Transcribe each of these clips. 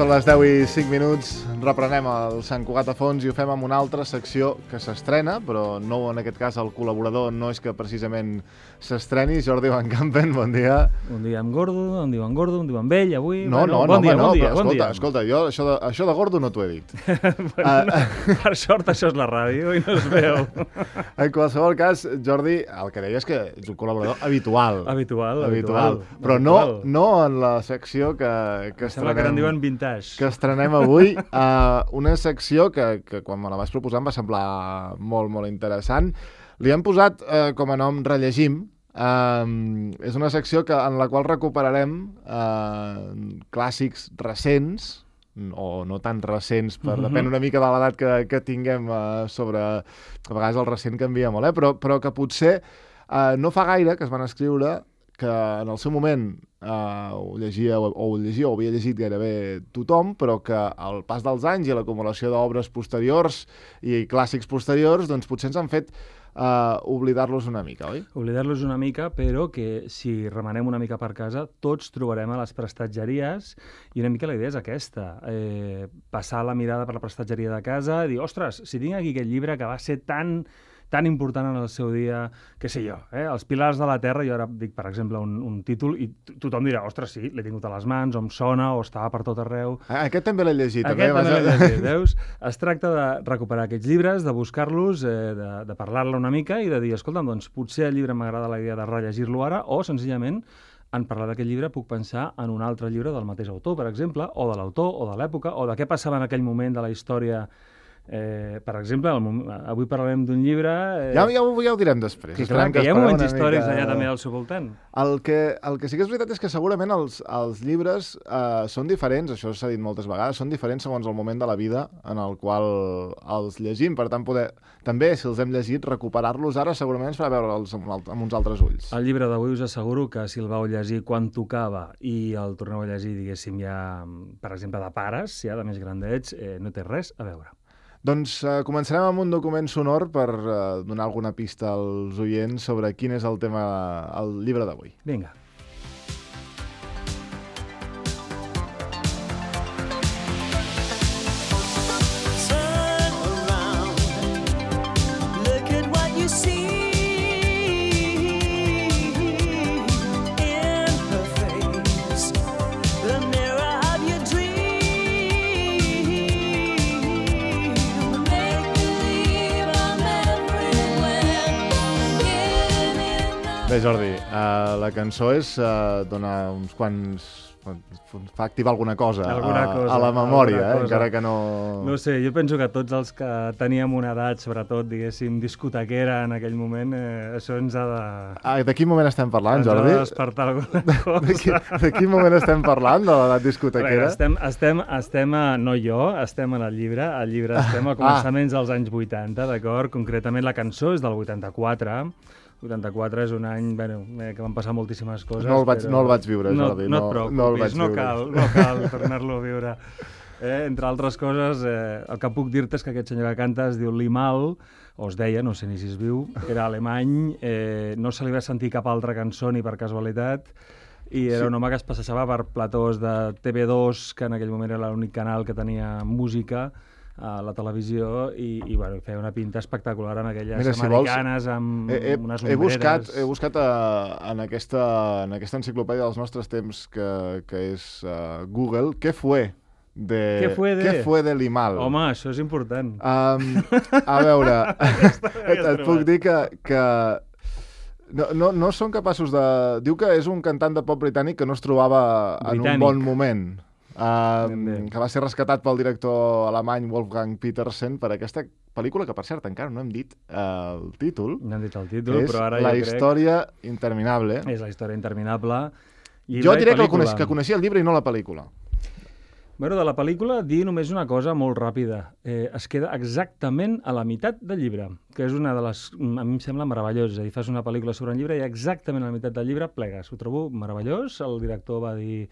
Són les 10:05, reprenem el Sant Cugat a fons i ho fem amb una altra secció que s'estrena, però no, en aquest cas el col·laborador no és que precisament s'estreni. Jordi Van Campen, bon dia. Un dia amb Gordo, un dia amb Gordo, un dia amb ell, avui... No, bon dia. Escolta, jo això de Gordo no t'ho he dit. Per sort això és la ràdio i no es veu. En qualsevol cas, Jordi, el que deia és que ets un col·laborador habitual. Habitual. Però no en la secció que sembla que en diuen vintage. Que estrenem avui, una secció que quan me la vas proposar em va semblar molt, molt interessant. Li hem posat com a nom Rellegim. És una secció en la qual recuperarem clàssics recents, o no tan recents, depèn una mica de l'edat que tinguem sobre... A vegades el recent canvia molt, però que potser no fa gaire que es van escriure, que en el seu moment ho llegia o havia llegit gairebé tothom, però que al pas dels anys i l'acumulació d'obres posteriors i clàssics posteriors, doncs potser ens han fet oblidar-los una mica, oi? Oblidar-los una mica, però que si remenem una mica per casa, tots trobarem a les prestatgeries, i una mica la idea és aquesta, passar la mirada per la prestatgeria de casa i dir, ostres, si tinc aquí aquest llibre que va ser tan important en el seu dia, què sé jo, Els pilars de la terra, jo ara dic, per exemple, un títol, i tothom dirà, ostres, sí, l'he tingut a les mans, o em sona, o estava per tot arreu. Aquest també l'he llegit. Aquest també l'he llegit, veus? Es tracta de recuperar aquests llibres, de buscar-los, de parlar-ne una mica i de dir, escolta'm, doncs potser el llibre m'agrada la idea de rellegir-lo ara, o senzillament en parlar d'aquest llibre puc pensar en un altre llibre del mateix autor, per exemple, o de l'autor, o de l'època, o de què passava en aquell moment de la història. Per exemple, avui parlarem d'un llibre... Ja ho direm després. Que hi ha moments històrics allà també al seu voltant. El que sí que és veritat és que segurament els llibres són diferents, això s'ha dit moltes vegades, són diferents segons el moment de la vida en el qual els llegim. Per tant, també, si els hem llegit, recuperar-los ara segurament ens farà veure'ls amb uns altres ulls. El llibre d'avui us asseguro que si el vau llegir quan tocava i el torneu a llegir, diguéssim, ja, per exemple, de pares, ja de més grandets, no té res a veure. Doncs començarem amb un document sonor per donar alguna pista als oients sobre quin és el tema, el llibre d'avui. Vinga. Bé, Jordi, la cançó dona uns quants... fa activar alguna cosa a la memòria, encara que no... No sé, jo penso que tots els que teníem una edat, sobretot, diguéssim, discotequera en aquell moment, això ens ha de... De quin moment estem parlant, Jordi? Ens ha de despertar alguna cosa. De quin moment estem parlant, de l'edat discotequera? Estem no jo, estem en el llibre. Al llibre estem a començaments dels anys 80, d'acord? Concretament la cançó és del 84. 84 és un any que van passar moltíssimes coses. No el vaig viure, Jordi. No et preocupis, no cal tornar-lo a viure. Entre altres coses, el que puc dir-te és que aquest senyor que canta es diu Limahl, o es deia, no sé ni si es viu, era alemany, no se li va sentir cap altra cançó ni per casualitat, i era un home que es passejava per platós de TV2, que en aquell moment era l'únic canal que tenia música a la televisió, i feia una pinta espectacular amb aquelles americanes amb unes ombreres. He buscat en aquesta enciclopèdia dels nostres temps que és Google, ¿Qué fue de Limahl? Home, això és important. A veure, et puc dir que no són capaços de... Diu que és un cantant de pop britànic que no es trobava en un bon moment. Que va ser rescatat pel director alemany Wolfgang Petersen per aquesta pel·lícula, que per cert encara no hem dit el títol. No hem dit el títol, però ara La història interminable. És la història interminable. Jo diré que coneixia el llibre i no la pel·lícula. Bueno, de la pel·lícula, dir només una cosa molt ràpida. Es queda exactament a la meitat del llibre, que és una de les... A mi em sembla meravellós. És a dir, fas una pel·lícula sobre un llibre i exactament a la meitat del llibre plegues. Ho trobo meravellós. El director va dir...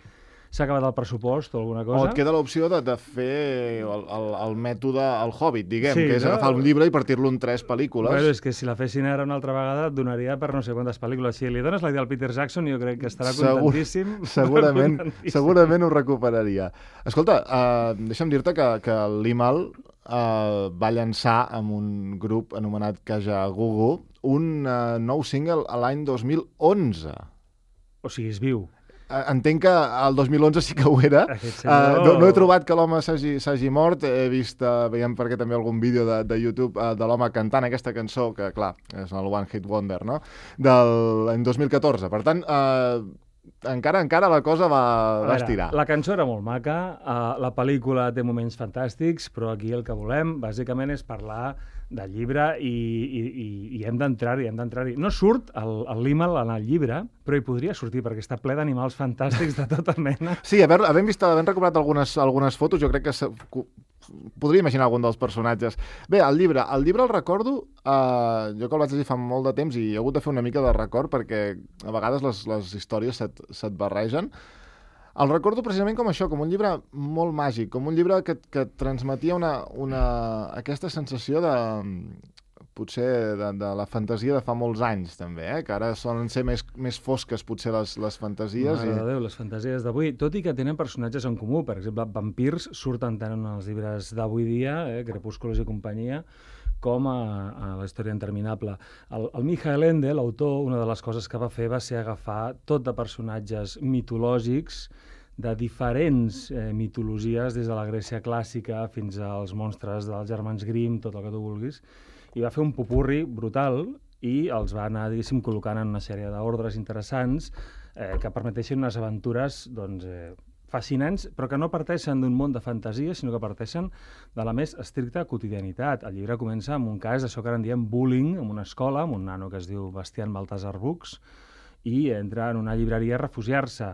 s'ha acabat el pressupost o alguna O cosa. et queda l'opció de fer el mètode El Hobbit, diguem, Sí, que és no? agafar un llibre i partir-lo en 3 pel·lícules. Bueno, és que si la fessin ara una altra vegada et donaria per no sé quantes pel·lícules. Si li dones la idea al Peter Jackson, jo crec que estarà contentíssim. Segurament ho recuperaria. Escolta, deixa'm dir-te que el Limahl va llançar amb un grup anomenat Kajagoogoo un nou single a l'any 2011. O sigui, és viu. Entenc que el 2011 sí que ho era. Senyor... No he trobat que l'home s'hagi mort. He vist, veiem perquè també algun vídeo de YouTube de l'home cantant aquesta cançó, que clar, és el One Hit Wonder, no? L'any 2014. Per tant, encara la cosa va estirar. La cançó era molt maca, la pel·lícula té moments fantàstics, però aquí el que volem, bàsicament, és parlar del llibre i hem d'entrar-hi, No surt el Limahl en el llibre, però hi podria sortir, perquè està ple d'animals fantàstics de tota mena. Sí, havent recuperat algunes fotos, jo crec que podria imaginar algun dels personatges. Bé, el llibre el recordo, jo que el vaig llegir fa molt de temps i he hagut de fer una mica de record perquè a vegades les històries se't barregen. El recordo precisament com això, com un llibre molt màgic, com un llibre que transmetia aquesta sensació potser de la fantasia de fa molts anys, també, que ara solen ser més fosques, potser, les fantasies. Mare de Déu, les fantasies d'avui, tot i que tenen personatges en comú. Per exemple, vampirs surten tant en els llibres d'avui dia, Crepúsculos i companyia, com a la història interminable. El Michael Ende, l'autor, una de les coses que va fer va ser agafar tot de personatges mitològics de diferents mitologies, des de la Grècia clàssica fins als monstres dels germans Grimm, tot el que tu vulguis, i va fer un popurri brutal i els va anar, diguéssim, col·locant en una sèrie d'ordres interessants que permeteixen unes aventures, doncs, fascinants, però que no parteixen d'un món de fantasia, sinó que parteixen de la més estricta quotidianitat. El llibre comença amb un cas d'això que ara en diem bullying, en una escola, amb un nano que es diu Bastian Baltasar Bux, i entra en una llibreria a refugiar-se.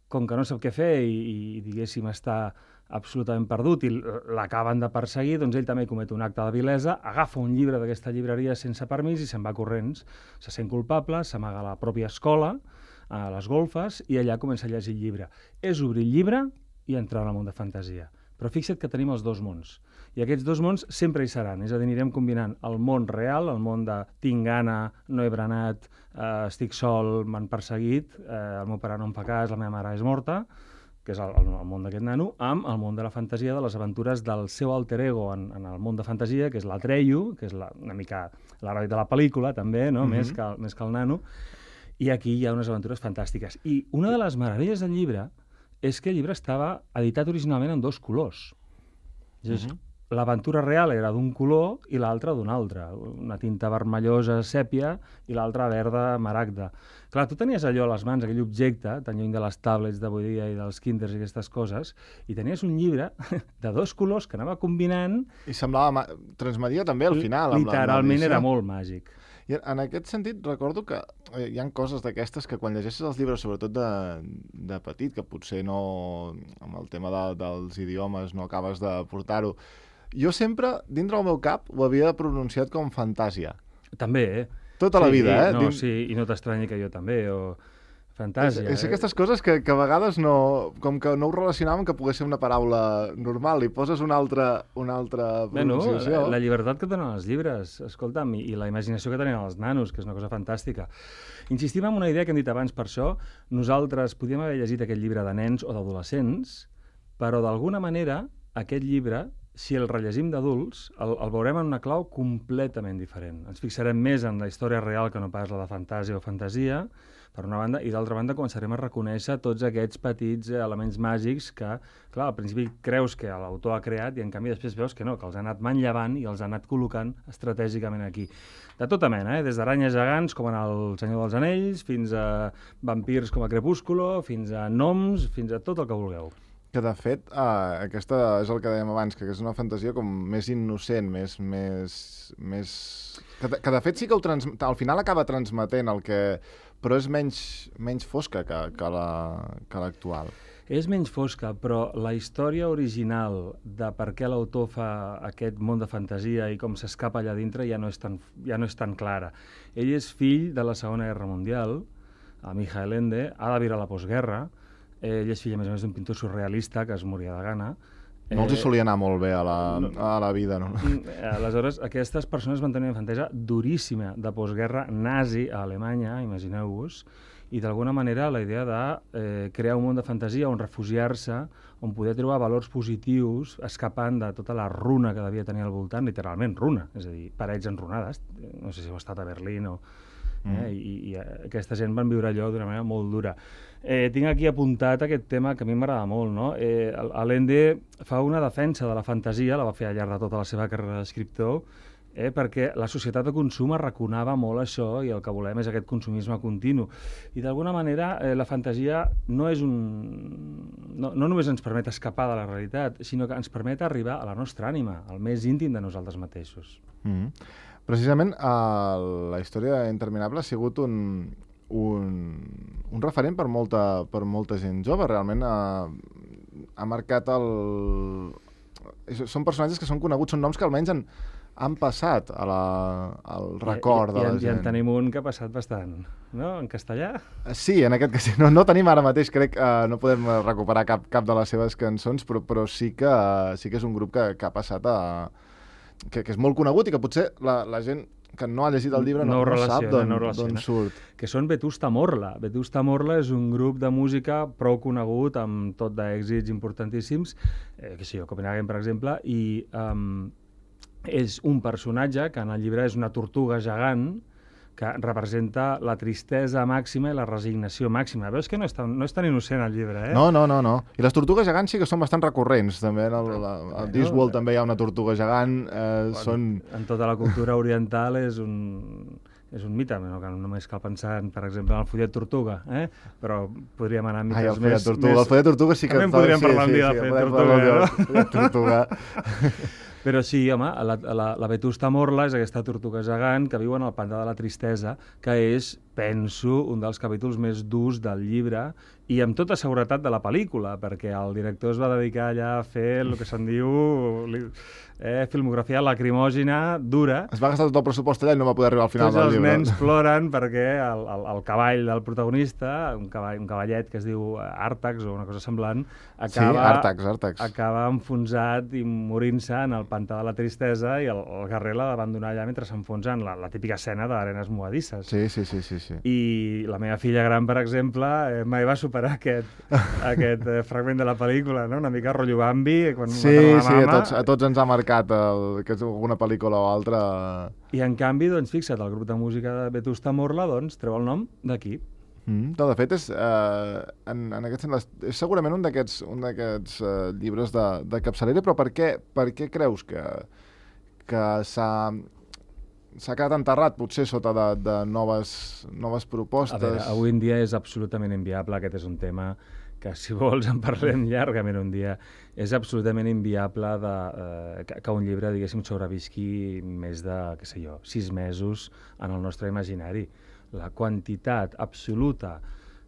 Com que no sap què fer i diguéssim, està absolutament perdut i l'acaben de perseguir, doncs ell també comet un acte de vilesa, agafa un llibre d'aquesta llibreria sense permís i se'n va corrents. Se sent culpable, s'amaga a la pròpia escola, a les golfes, i allà comença a llegir el llibre. És obrir el llibre i entrar en el món de fantasia. Però fixa't que tenim els dos mons. I aquests dos mons sempre hi seran. És a dir, anirem combinant el món real, el món de tinc gana, no he berenat, estic sol, m'han perseguit, el meu pare no em fa cas, la meva mare és morta, que és el món d'aquest nano, amb el món de la fantasia, de les aventures del seu alter ego en el món de fantasia, que és l'Atreyu, que és una mica l'heroi de la pel·lícula, també, no? Més que el nano. I aquí hi ha unes aventures fantàstiques. I una de les meravelles del llibre és que el llibre estava editat originalment en 2 colors. L'aventura real era d'un color i l'altra d'un altre. Una tinta vermellosa, sèpia, i l'altra verda, maragda. Clar, tu tenies allò a les mans, aquell objecte, tan lluny de les tablets d'avui dia i dels kinders i aquestes coses, i tenies un llibre de 2 colors que anava combinant... I semblava... transmetia també al final. Literalment era molt màgic. I en aquest sentit recordo que hi ha coses d'aquestes que quan llegeixes els llibres, sobretot de petit, que potser no, amb el tema dels idiomes no acabes de portar-ho, jo sempre, dintre del meu cap, ho havia pronunciat com fantàsia. També, Tota la vida, eh? No, sí, i no t'estranyi que jo també, o... Fantàsia. És aquestes coses que a vegades no... Com que no ho relacionàvem que pogués ser una paraula normal, i poses una altra pronunciació. La llibertat que tenen els llibres, escolta'm, i la imaginació que tenen els nanos, que és una cosa fantàstica. Insistim en una idea que hem dit abans, per això nosaltres podíem haver llegit aquest llibre de nens o d'adolescents, però d'alguna manera aquest llibre, si el rellegim d'adults, el veurem en una clau completament diferent. Ens fixarem més en la història real que no pas la de fantàsia o fantasia, per una banda, i d'altra banda començarem a reconèixer tots aquests petits elements màgics que, clar, al principi creus que l'autor ha creat i en canvi després veus que no, que els ha anat manllevant i els ha anat col·locant estratègicament aquí. De tota mena, des d'aranyes gegants com en El Senyor dels Anells, fins a vampirs com a Crepúsculo, fins a gnoms, fins a tot el que vulgueu. Que de fet, aquesta és el que dèiem abans, que és una fantasia com més innocent, més... Que de fet sí que al final acaba transmetent el que... però és menys fosca que l'actual. És menys fosca, però la història original de per què l'autor fa aquest món de fantasia i com s'escapa allà dintre ja no és tan clara. Ell és fill de la Segona Guerra Mundial, a Michael Ende, ha de viure a la postguerra, Ell és fill, a més d'un pintor surrealista que es moria de gana. No els hi solia anar molt bé a la vida, no? Aleshores, aquestes persones van tenir una infantesa duríssima de postguerra nazi a Alemanya, imagineu-vos, i d'alguna manera la idea de crear un món de fantasia on refugiar-se, on poder trobar valors positius escapant de tota la runa que devia tenir al voltant, literalment runa, és a dir, parets enrunades, no sé si heu estat a Berlín o... I aquesta gent van viure allò d'una manera molt dura. Tinc aquí apuntat aquest tema que a mi m'agrada molt, no? Allende fa una defensa de la fantasia, la va fer al llarg de tota la seva carrera d'escriptor, perquè la societat de consum arraconava molt això i el que volem és aquest consumisme continu. I d'alguna manera la fantasia no només ens permet escapar de la realitat, sinó que ens permet arribar a la nostra ànima, al més íntim de nosaltres mateixos. Precisament la història interminable ha sigut un referent per molta gent jove. Realment ha marcat Són personatges que són coneguts, són noms que almenys han passat al record de la gent. I en tenim un que ha passat bastant, no? En castellà? Sí, en aquest cas no tenim ara mateix, crec que no podem recuperar cap de les seves cançons, però sí que és un grup que ha passat que és molt conegut i que potser la gent que no ha llegit el llibre no sap d'on surt. Que són Vetusta Morla. Vetusta Morla és un grup de música prou conegut, amb tot d'èxits importantíssims, Copenhagen, per exemple, i és un personatge que en el llibre és una tortuga gegant que representa la tristesa màxima i la resignació màxima. Veus que no és tan innocent el llibre, eh? No. I les tortugues gegants sí que són bastant recurrents, també. A Discworld també hi ha una tortuga gegant. En tota la cultura oriental és un mite, no? Que només cal pensar, per exemple, en el follet tortuga, però podríem anar a mites més... El follet tortuga sí que... També en podríem parlar un dia de follet tortuga. Però sí, home, la Vetusta Morla és aquesta tortuga gegant que viu en el pantà de la tristesa, que és, penso, un dels capítols més durs del llibre i amb tota seguretat de la pel·lícula, perquè el director es va dedicar allà a fer el que se'n diu filmografia lacrimògena, dura. Es va gastar tot el pressupost allà i no va poder arribar al final del llibre. Tots els nens ploren perquè el cavall del protagonista, un cavallet que es diu Àrtax o una cosa semblant, acaba enfonsat i morint-se en el pantà de la tristesa i el guerrer l'ha d'abandonar allà mentre s'enfonsa en la típica escena d'arenes movedisses. Sí. I la meva filla gran, per exemple, mai va superar aquest fragment de la pel·lícula, no? Una mica rotllo Bambi, quan mata la mama. A tots ens ha marcat que és alguna pel·lícula o altra. I en canvi, doncs, fixa't, el grup de música de Vetusta Morla treu el nom d'aquí. De fet, en aquest sentit, és segurament un d'aquests llibres de capçalera, però per què creus que s'ha quedat enterrat, potser sota de noves propostes? A veure, avui en dia és absolutament inviable, aquest és un tema que, si vols, en parlem llargament un dia. És absolutament inviable que un llibre, diguéssim, sobrevisqui més de, 6 mesos en el nostre imaginari. La quantitat absoluta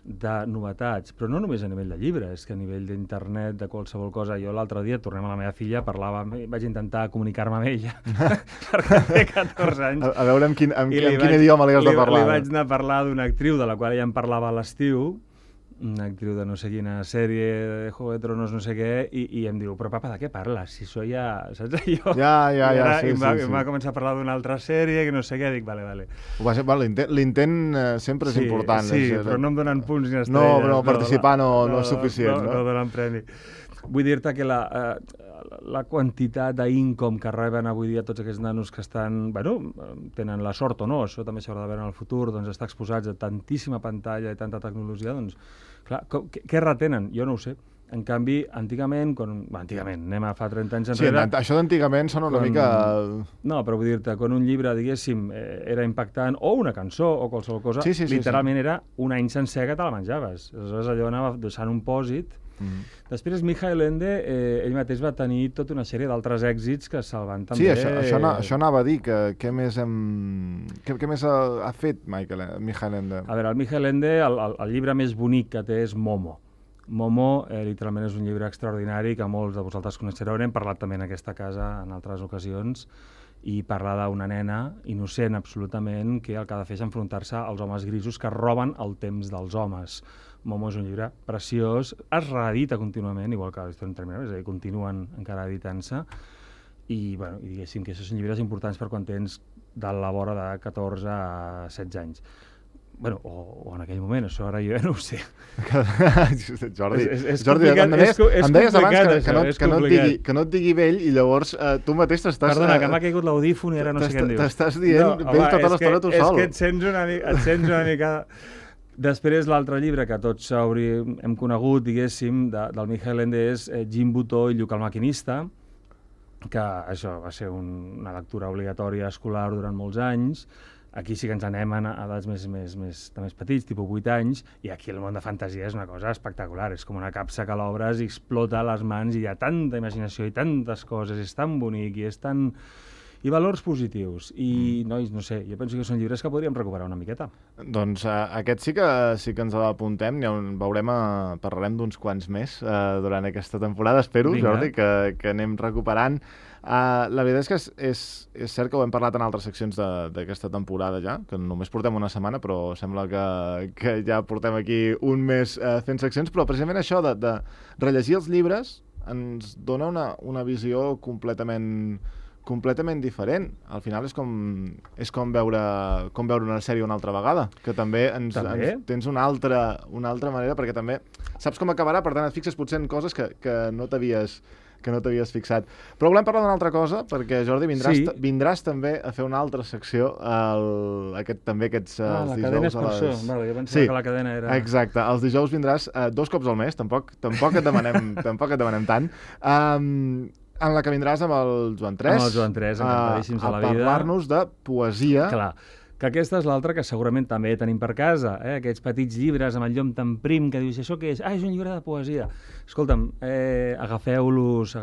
de novetats, però no només a nivell de llibre, és que a nivell d'internet, de qualsevol cosa. Jo l'altre dia, tornem a la meva filla, vaig intentar comunicar-me amb ella, perquè té 14 anys. A veure amb quin idioma li has de parlar. Li vaig anar a parlar d'una actriu de la qual ella em parlava a l'estiu, una actriu de no sé quina sèrie, de Juego de Tronos, no sé què, i em diu, però papa, de què parles? Si això ja... Saps allò? I em va començar a parlar d'una altra sèrie, que no sé què, dic, vale. L'intent sempre és important. Sí, però no em donen punts ni estrelles. No, però participar no és suficient. No donen premi. Vull dir-te que la quantitat d'income que reben avui dia tots aquests nanos que estan, tenen la sort o no, això també s'haurà de veure en el futur, doncs estar exposats a tantíssima pantalla i tanta tecnologia, doncs, clar, què retenen? Jo no ho sé. En canvi, antigament, anem a fa 30 anys enrere... Sí, això d'antigament sona una mica... No, però vull dir-te, quan un llibre, diguéssim, era impactant, o una cançó, o qualsevol cosa, literalment era un any sencer que te la menjaves. Aleshores, allò anava deixant un pòsit. Després, Michael Ende, ell mateix va tenir tota una sèrie d'altres èxits que se'l van també... Sí, això anava a dir, que què més ha fet Michael Ende? A veure, el Michael Ende, el llibre més bonic que té és Momo. Momo, literalment, és un llibre extraordinari que molts de vosaltres coneixereu. N'hem parlat també en aquesta casa en altres ocasions, i parla d'una nena innocent absolutament que el que ha de fer és enfrontar-se als homes grisos que roben el temps dels homes. Momo és un llibre preciós, es reedita contínuament, igual que la història interminable, és a dir, continuen encara editant-se, i diguéssim que aquests són llibres importants per quan tens de la vora de 14 a 16 anys. O en aquell moment, això ara jo no ho sé. Jordi, és Jordi, complicat, em deies abans que no et digui vell i llavors tu mateix t'estàs... Perdona, que m'ha caigut l'audífon i ara no sé què em dius. T'estàs dient vell tota l'estona tu sol. És que et sents una mica... Després, l'altre llibre que tots hem conegut, diguéssim, del Michael Ende és Jim Butó i Lluc el maquinista, que això va ser una lectura obligatòria escolar durant molts anys. Aquí sí que ens anem a edats més petits, tipus 8 anys, i aquí el món de fantasia és una cosa espectacular. És com una capsa que l'obres i explota a les mans i hi ha tanta imaginació i tantes coses, és tan bonic i és tan... I valors positius. I, nois, no sé, jo penso que són llibres que podríem recuperar una miqueta. Doncs aquest sí que ens l'apuntem, parlarem d'uns quants més durant aquesta temporada, espero, vinga. Jordi, que anem recuperant. La veritat és que és cert que ho hem parlat en altres seccions d'aquesta temporada ja, que només portem una setmana, però sembla que ja portem aquí un mes fent seccions, però precisament això de rellegir els llibres ens dona una visió completament diferent. Al final és com veure una sèrie una altra vegada, que també tens una altra manera, perquè també saps com acabarà, per tant et fixes potser en coses que no t'havies fixat. Però volem parlar d'una altra cosa, perquè, Jordi, vindràs també a fer una altra secció, aquests dijous... La cadena és per això. Jo pensava que la cadena era... Exacte. Els dijous vindràs 2 cops al mes, tampoc et demanem tant. En la que vindràs amb el Joan Tres. Amb el Joan Tres, encantadíssims a la vida. A parlar-nos de poesia. Clar, que aquesta és l'altra que segurament també tenim per casa, aquests petits llibres amb el llom tan prim que dius, això què és? És un llibre de poesia. Escolta'm, agafeu-los,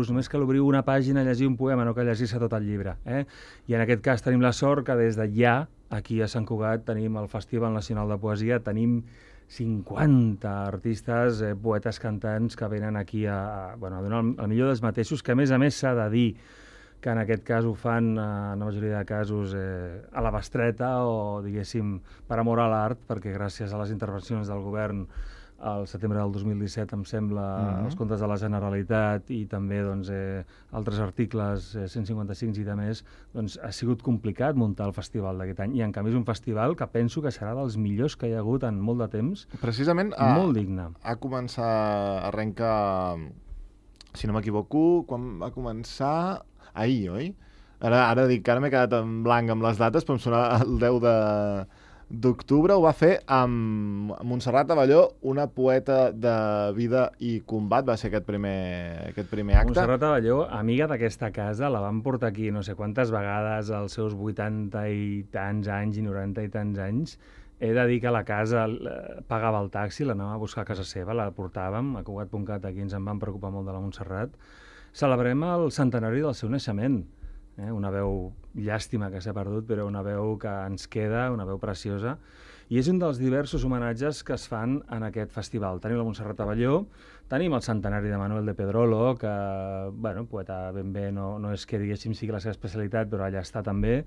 només que l'obriu una pàgina a llegir un poema, no que llegir-se tot el llibre. I en aquest cas tenim la sort que des de ja, aquí a Sant Cugat, tenim el Festival Nacional de Poesia, tenim 50 artistes, poetes cantants que venen aquí a donar el millor dels mateixos, que a més s'ha de dir que en aquest cas ho fan, en la majoria de casos, a la bestreta o, diguéssim, per amor a l'art, perquè gràcies a les intervencions del govern al setembre del 2017, em sembla, els comptes de la Generalitat i també altres articles 155 i de més, ha sigut complicat muntar el festival d'aquest any. I en canvi és un festival que penso que serà dels millors que hi ha hagut en molt de temps. Precisament molt digne. Arrenca, si no m'equivoco, quan va començar... Ahir, oi? Ara dic que ara m'he quedat en blanc amb les dates, però em sona el 10 d'octubre. Ho va fer amb Montserrat Abelló, una poeta de vida i combat. Va ser aquest primer acte. Montserrat Abelló, amiga d'aquesta casa, la van portar aquí no sé quantes vegades als seus 80 i tants anys i 90 i tants anys. He de dir que la casa pagava el taxi, l'anàvem a buscar a casa seva, la portàvem a Cugat.cat, aquí ens en vam preocupar molt de la Montserrat. Celebrem el centenari del seu naixement. Una veu llàstima que s'ha perdut, però una veu que ens queda, una veu preciosa. I és un dels diversos homenatges que es fan en aquest festival. Tenim la Montserrat Abelló, tenim el centenari de Manuel de Pedrolo, que, poeta ben bé no és que, diguéssim, sigui la seva especialitat, però allà està també.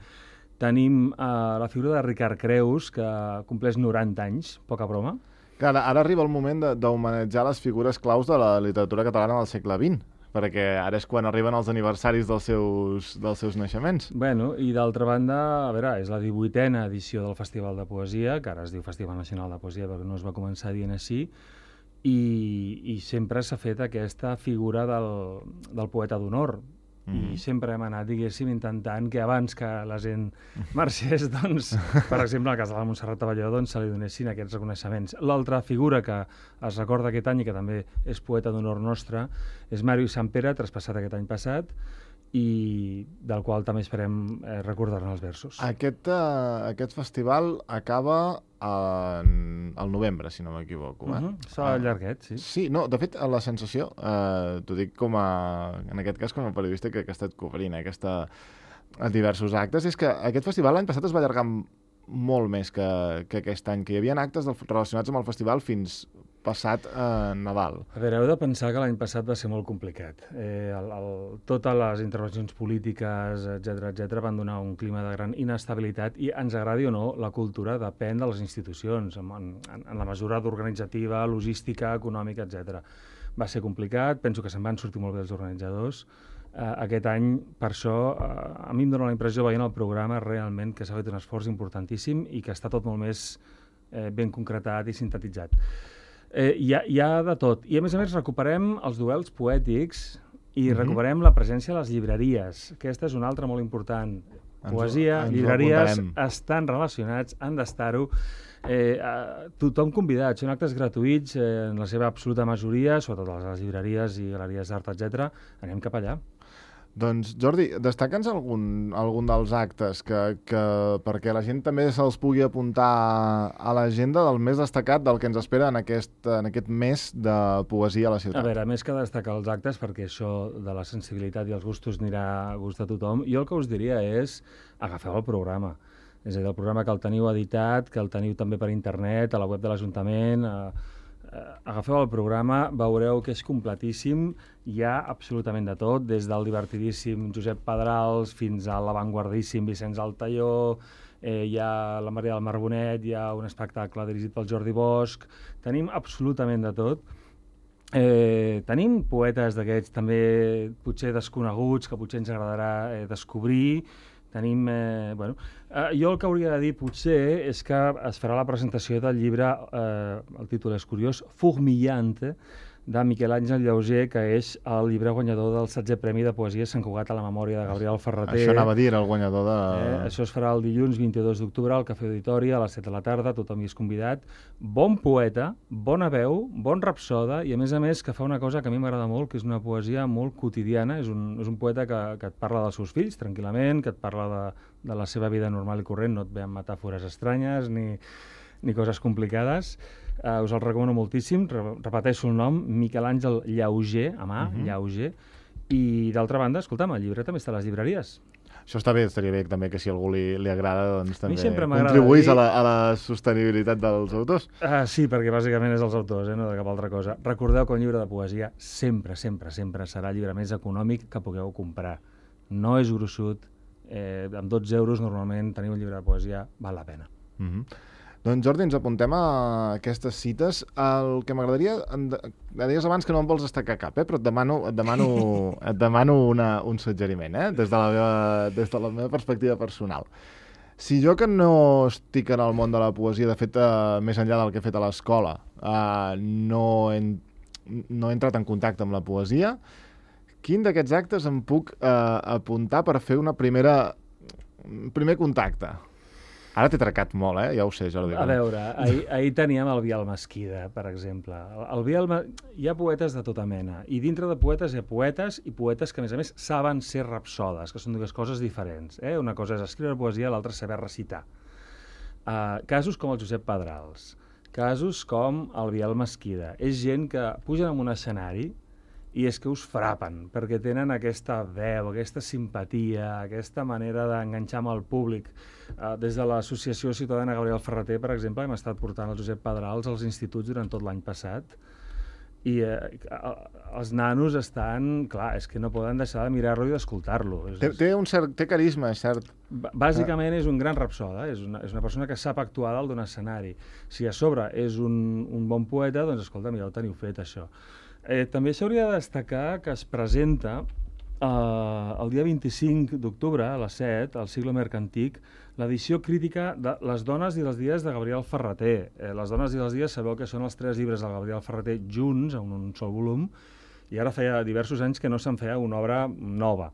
Tenim la figura de Ricard Creus, que compleix 90 anys, poca broma. Clar, ara arriba el moment d'homenatjar les figures claus de la literatura catalana del segle XX, perquè ara és quan arriben els aniversaris dels seus naixements. I d'altra banda, a veure, és la 18a edició del Festival de Poesia, que ara es diu Festival Nacional de Poesia perquè no es va començar dient així, i sempre s'ha fet aquesta figura del poeta d'honor. I sempre hem anat, diguéssim, intentant que abans que la gent marxés, doncs, per exemple, en el cas de la Montserrat Abelló, se li donessin aquests reconeixements. L'altra figura que es recorda aquest any i que també és poeta d'honor nostre és Màrius Sampere, traspassat aquest any passat, i del qual també esperem recordar-ne els versos. Aquest festival acaba al novembre, si no m'equivoco. Està llarguet, sí. Sí, no, de fet, la sensació, t'ho dic en aquest cas com a periodista que ha estat cobrint diversos actes, és que aquest festival l'any passat es va allargar molt més que aquest any, que hi havia actes relacionats amb el festival fins passat Nadal. A veure, heu de pensar que l'any passat va ser molt complicat. Totes les intervencions polítiques, etc van donar un clima de gran inestabilitat i, ens agradi o no, la cultura depèn de les institucions, en la mesura d'organitzativa, logística, econòmica, etc. Va ser complicat, penso que se'n van sortir molt bé els organitzadors. Aquest any, per això, a mi em dóna la impressió, veient el programa, realment que s'ha fet un esforç importantíssim i que està tot molt més ben concretat i sintetitzat. Hi ha de tot. I, a més, recuperem els duels poètics i recuperem la presència a les llibreries. Aquesta és una altra molt important. Poesia, llibreries estan relacionats, han d'estar-ho. Tothom convidat, són actes gratuïts en la seva absoluta majoria, sobretot a les llibreries i galeries d'art, etc. Anem cap allà. Doncs, Jordi, destaca'ns algun dels actes perquè la gent també se'ls pugui apuntar a l'agenda del més destacat del que ens espera en aquest mes de poesia a la ciutat. A veure, més que destacar els actes, perquè això de la sensibilitat i els gustos anirà a gust de tothom, jo el que us diria és agafeu el programa. És a dir, el programa que el teniu editat, que el teniu també per internet, a la web de l'Ajuntament. Agafeu el programa, veureu que és completíssim, hi ha absolutament de tot, des del divertidíssim Josep Pedrals fins a l'avantguardíssim Vicenç Altaió, hi ha la Maria del Marbonet, hi ha un espectacle dirigit pel Jordi Bosch, tenim absolutament de tot. Tenim poetes d'aquests també potser desconeguts, que potser ens agradarà descobrir. Tenim, jo el que hauria de dir potser és que es farà la presentació del llibre, el títol és curiós, Fourmillante, de Miquel Àngel Llauger, que és el llibre guanyador del 16è Premi de Poesia Sant Cugat a la memòria de Gabriel Ferrater. Això anava a dir, el guanyador de... Això es farà el dilluns 22 d'octubre al Cafè Auditori a les 7 de la tarda, tothom hi és convidat. Bon poeta, bona veu, bon rapsoda i, a més, que fa una cosa que a mi m'agrada molt, que és una poesia molt quotidiana. És un poeta que et parla dels seus fills, tranquil·lament, que et parla de la seva vida normal i corrent, no et ve amb metàfores estranyes ni coses complicades. Us el recomano moltíssim, repeteixo el nom, Miquel Àngel Llauger, Llauger, i d'altra banda, escolta'm, el llibre també està a les llibreries. Això està bé, estaria bé també que si a algú li agrada, doncs també contribuís a la sostenibilitat dels autors. Sí, perquè bàsicament és els autors, no de cap altra cosa. Recordeu que un llibre de poesia sempre serà el llibre més econòmic que pugueu comprar. No és gruixut, amb 12 euros normalment tenir un llibre de poesia val la pena. Doncs Jordi, ens apuntem a aquestes cites. El que m'agradaria... Deies abans que no em vols destacar cap, però et demano un suggeriment, des de la meva perspectiva personal. Si jo, que no estic en el món de la poesia, de fet, més enllà del que he fet a l'escola, no he entrat en contacte amb la poesia, quin d'aquests actes em puc apuntar per fer un primer contacte? Ara t'he tracat molt, ja ho sé, Jordi. A veure, ahir teníem el Biel Mesquida, per exemple. Hi ha poetes de tota mena, i dintre de poetes hi ha poetes i poetes que, a més, saben ser rapsodes, que són dues coses diferents. Una cosa és escriure poesia, l'altra és saber recitar. Casos com el Josep Pedrals, casos com el Biel Mesquida. És gent que pugen en un escenari i és que us frapen, perquè tenen aquesta veu, aquesta simpatia, aquesta manera d'enganxar amb el públic. Des de l'Associació Ciutadana Gabriel Ferrater, per exemple, hem estat portant el Josep Pedrals als instituts durant tot l'any passat, i els nanos estan... Clar, és que no poden deixar de mirar-lo i d'escoltar-lo. Té carisma, és cert. Bàsicament és un gran rapsoda, és una persona que sap actuar dalt d'un escenari. Si a sobre és un bon poeta, doncs escolta, ja ho teniu fet, això. També s'hauria de destacar que es presenta el dia 25 d'octubre, a les 7, al Sigle Mercantic, l'edició crítica de Les dones i els dies de Gabriel Ferrater. Les dones i els dies sabeu que són els 3 llibres de Gabriel Ferrater junts, en un sol volum, i ara feia diversos anys que no se'n feia una obra nova.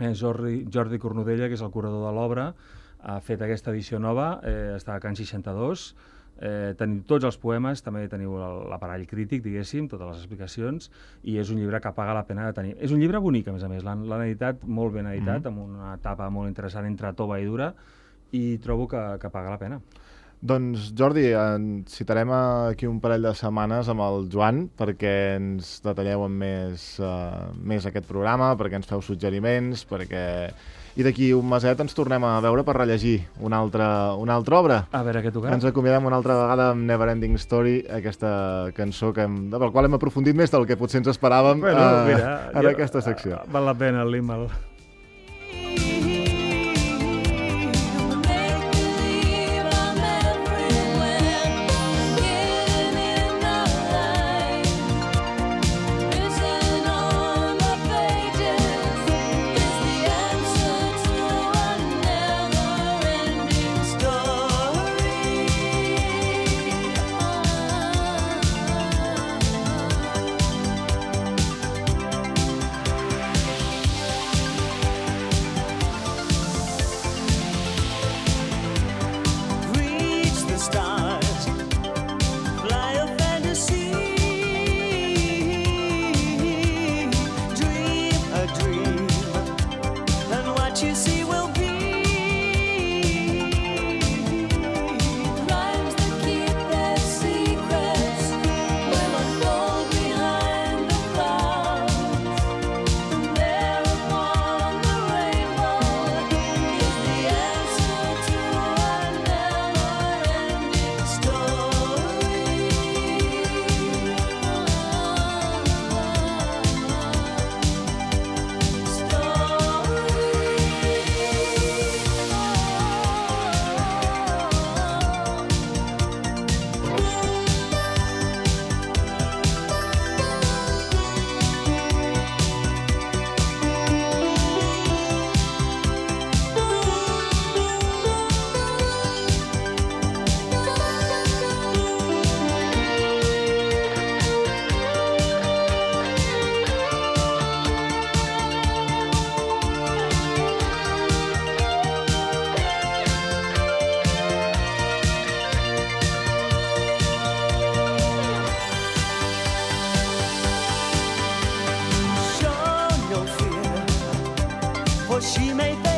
Jordi Cornudella, que és el curador de l'obra, ha fet aquesta edició nova, està a Can 62, teniu tots els poemes, també teniu l'aparell crític, diguéssim, totes les explicacions, i és un llibre que paga la pena de tenir. És un llibre bonic, a més, l'han editat molt ben editat, amb una etapa molt interessant entre tova i dura, i trobo que paga la pena. Doncs, Jordi, citarem aquí un parell de setmanes amb el Joan perquè ens detalleu amb més aquest programa, perquè ens feu suggeriments, perquè i d'aquí un meset ens tornem a veure per rellegir una altra obra. A veure què tocarà. Ens acomiadem una altra vegada amb Neverending Story, aquesta cançó del qual hem aprofundit més del que potser ens esperàvem en aquesta secció. Val la pena el Limal. She made